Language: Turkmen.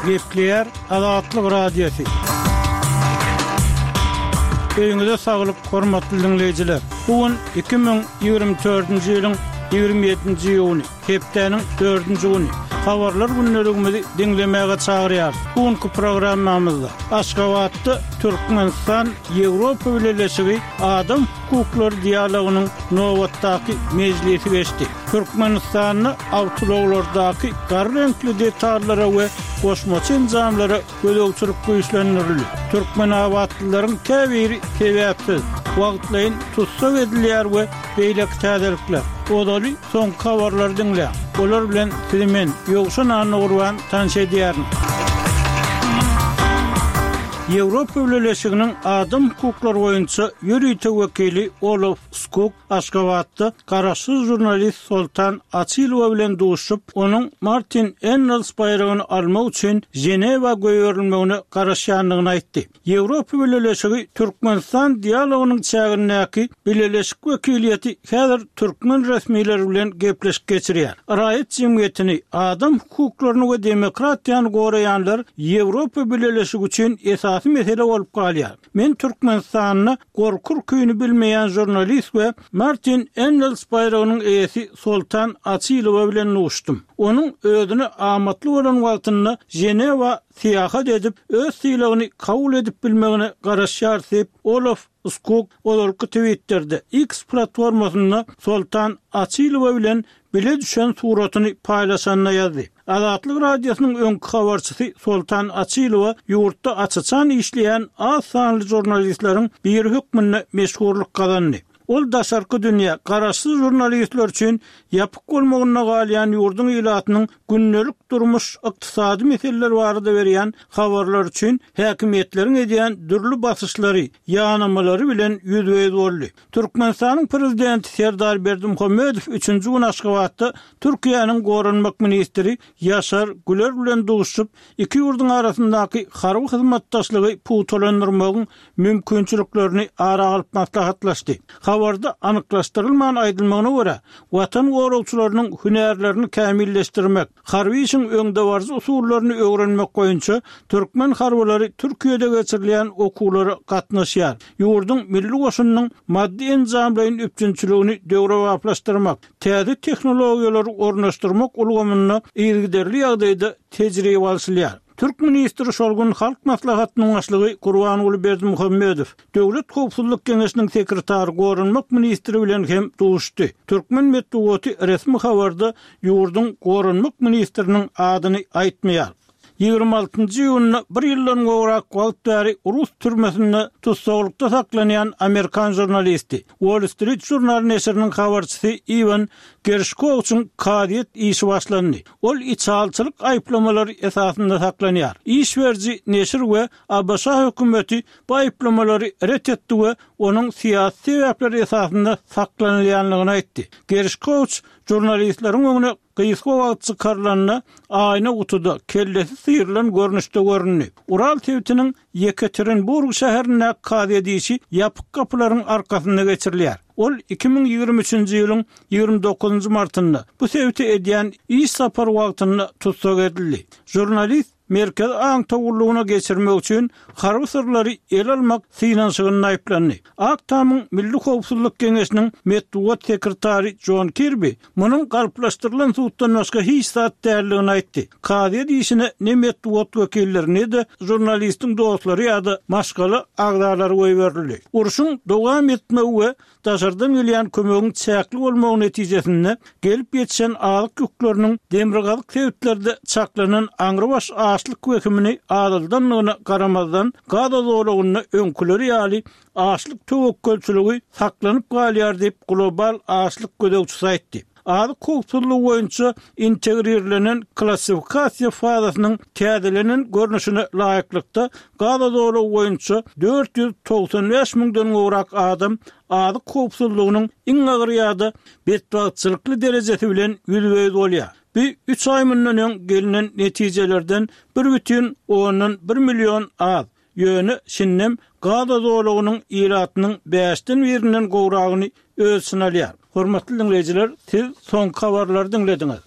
Gepleýär Azatlyk Radiosy. Öýüňize saglyk, hormatly diňleýjiler! Bu gün 2024-nji ýylyň 27-nji iýuny, hepdäniň dördünji güni. Habarlar gündeligimizi diňlemäge çagyrýarys. Bu günki programmamyzda Aşgabatda Türkmenistan, Ýewropa Bileleşigi adam hukuklary dialogynyň nobatdaky mejlisi geçdi. Türkmenistanda awtoulaglardaky gara reňkli detallara we goşmaça enjamlara gözegçilik güýçlendirildi. Türkmenabatlylaryň käbiri sebäpsiz, wagtlaýyn tussag edilýär we beýleki täzelikler. Ozaly soňky habarlary diňläň. Olar bilen sizi men, Ýowşan Annagurban tanyş edýärin. Ýewropa Bileleşiginiň adam hukuklary boýunça ýörite wekili Olof Skug Aşgabatda garaşsyz žurnalist Soltan Açylowa bilen duşup, onuň Martin Ennals baýragyny almak üçin Ženewa goýberilmegine garaşýandygyny aýtdy. Ýewropa Bileleşigi Türkmenistan dialogynyň çägindäki bileleşik wekiliýeti häzir türkmen resmileri bilen gepleşik geçirýär. Raýat jemgyýetini, adam hukuklaryny we demokratiýany goraýanlar Ýewropa Bileleşigi üçin esasy mesele bolup galýar. Men Türkmenistanda gorky-ürküni bilmeýän žurnalist we Martin Ennals baýragynyň eýesi Soltan Açylowa bilen duşdum. Onuň özüne amatly bolan wagtynda Ženewa syýahat edip, öz sylagyny kabul edip bilmegine garaşýarys diýip, Olof Skug ozalky Twitterde, X platformasynda Soltan Açylowa bilen bile düşen suratyny paýlaşanda ýazdy. Azatlyk Radiosynyň öňki habarçysy Soltan Açylowa ýurtda aç-açan işleýän az sanly žurnalistleriň biri hökmünde meşhurlyk gazandy. Ol daşarky dünýä, garaşsyz žurnalistler üçin ýapyk bolmagynda galýan ýurduň ilatynyň gündelik durmuş, ykdysady meseleler barada berýän habarlary üçin häkimiýetleriň edýän dürli basyşlary, ýanamalary bilen ýüzbe-ýüz boldy. Türkmenistanyň Prezidenti Serdar Berdimuhamedow üçünji gün Aşgabatda Türkiýäniň goranmak ministri Ýaşar Güler bilen duşuşyp, iki ýurduň arasyndaky harby hyzmatdaşlygy pugtalandyrmagyň mümkinçiliklerini ara alyp maslahatlaşdy. Habarda anyklaşdyrylman aýdylmagyna görä, Watan goragçylarynyň hünärlerini kämilleşdirmek, Harby işiň öňdebaryjy usullaryny öwrenmek boýunça türkmen harbylary Türkiýede geçirilýän okuwlara gatnaşýar. Ýurduň milli goşunynyň maddy-enjamlaýyn üpjünçiligini döwrebaplaşdyrmak, täze tehnologiýalary ornaşdyrmak ulgamynda yzygiderli ýagdaýda tejribe alşylýar. Türk ministri şol gün Halk Maslahatynyň Başlygy Gurbanguly Berdimuhamedow, Döwlet howpsuzlyk geňeşiniň sekretary, goranmak ministri bilen hem duşuşdy. Türkmen metbugaty resmi habarda ýurduň goranmak ministriniň adyny aýtmaýar. 26 njy iýunda bir ýyldan gowrak wagt bäri rus türmesinde tussaglykda saklanýan amerikan žurnalisti, Wall Street Journal neşiriniň habarçysy Iwan Gerşkowiçiň kazyýet işi başlandy. Ol içalyçylyk aýyplamalary esasynda saklanýar. Iş beriji neşir we ABŞ hökümeti bu aýyplamalary ret etdi we onuň syýasy sebäpler esasynda saklanylýandygyny aýtdy. Gerşkowiç žurnalistleriň öňüne gysga wagt çykarylanda, aýna gutuda, kellesi syrylan görnüşde göründi. Ural sebitiniň Ýekaterinburg şäherindäki kazyýet işi ýapyk gapylaryň arkasynda geçirilýär. Ol 2023-nji ýylyň 29-njy martynda bu sebite edýän iş sapary wagtynda tussag edildi. Žurnalist Merkezi aňtaw gullugyna geçirmek üçin harby syrlary ele almak synanyşygynda aýyplandy. Ak Tamyň Milli howpsuzlyk geňeşiniň metbugat sekretary Jon Kirbi munuň galplaşdyrylan suddan başga hiç zat däldigini aýtdy. Kazyýet işine ne metbugat wekilleri, ne-de žurnalistiň dostlary ýa-da maşgala agzalary goýberildi. Urşuň dowam etmegi we Daşardan gelýän kömegiň çäkli bolmagy netijesinde gelip ýetişen azyk ýükleriniň demirgazyk sebitlerde çaklanan aňrybaş açlyk wehimini azaldandygyna garamazdan, Gaza zolagynda öňküleri ýaly açlyk töwekgelçiligi saklanyp galýar diýip, global açlyk gözegçisi aýtdy. Azyk howpsuzlygy boýunça integrirlenen klassifikasiýa fazasynyň täzelenen görnüşine laýyklykda, Gaza zolagy boýunça 495 müňden gowrak adam azyk howpsuzlygynyň iň agyr ýa-da betbagtçylykly derejesi bilen ýüzbe-ýüz bolýar. Bu üç aý mundan öň gelnen netijelerden bir bütin ondan bir million az. Ýöne şindem Gaza zolagynyň ilatynyň bäşden birinden gowragyny öz içine alýar. Hormatly diňleýjiler, siz soňky habarlary diňlediňiz.